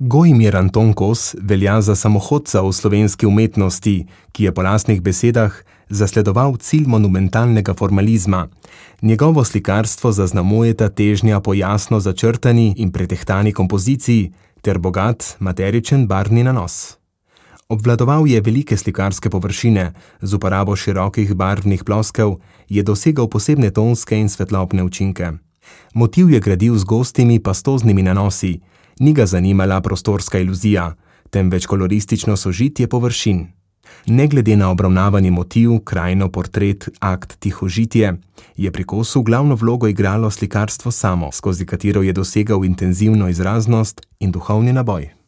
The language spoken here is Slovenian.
Gojmir Anton Kos velja za samohodca v slovenski umetnosti, ki je po lastnih besedah zasledoval cilj monumentalnega formalizma. Njegovo slikarstvo zaznamujeta težnja po jasno začrtani in pretehtani kompoziciji ter bogat, materičen barvni nanos. Obvladoval je velike slikarske površine, z uporabo širokih barvnih ploskev je dosegal posebne tonske in svetlobne učinke. Motiv je gradil z gostimi pastoznimi nanosi, ni ga zanimala prostorska iluzija, temveč koloristično sožitje površin. Ne glede na obravnavani motiv, krajino, portret, akt, tihožitje, je pri Kosu glavno vlogo igralo slikarstvo samo, skozi katero je dosegal intenzivno izraznost in duhovni naboj.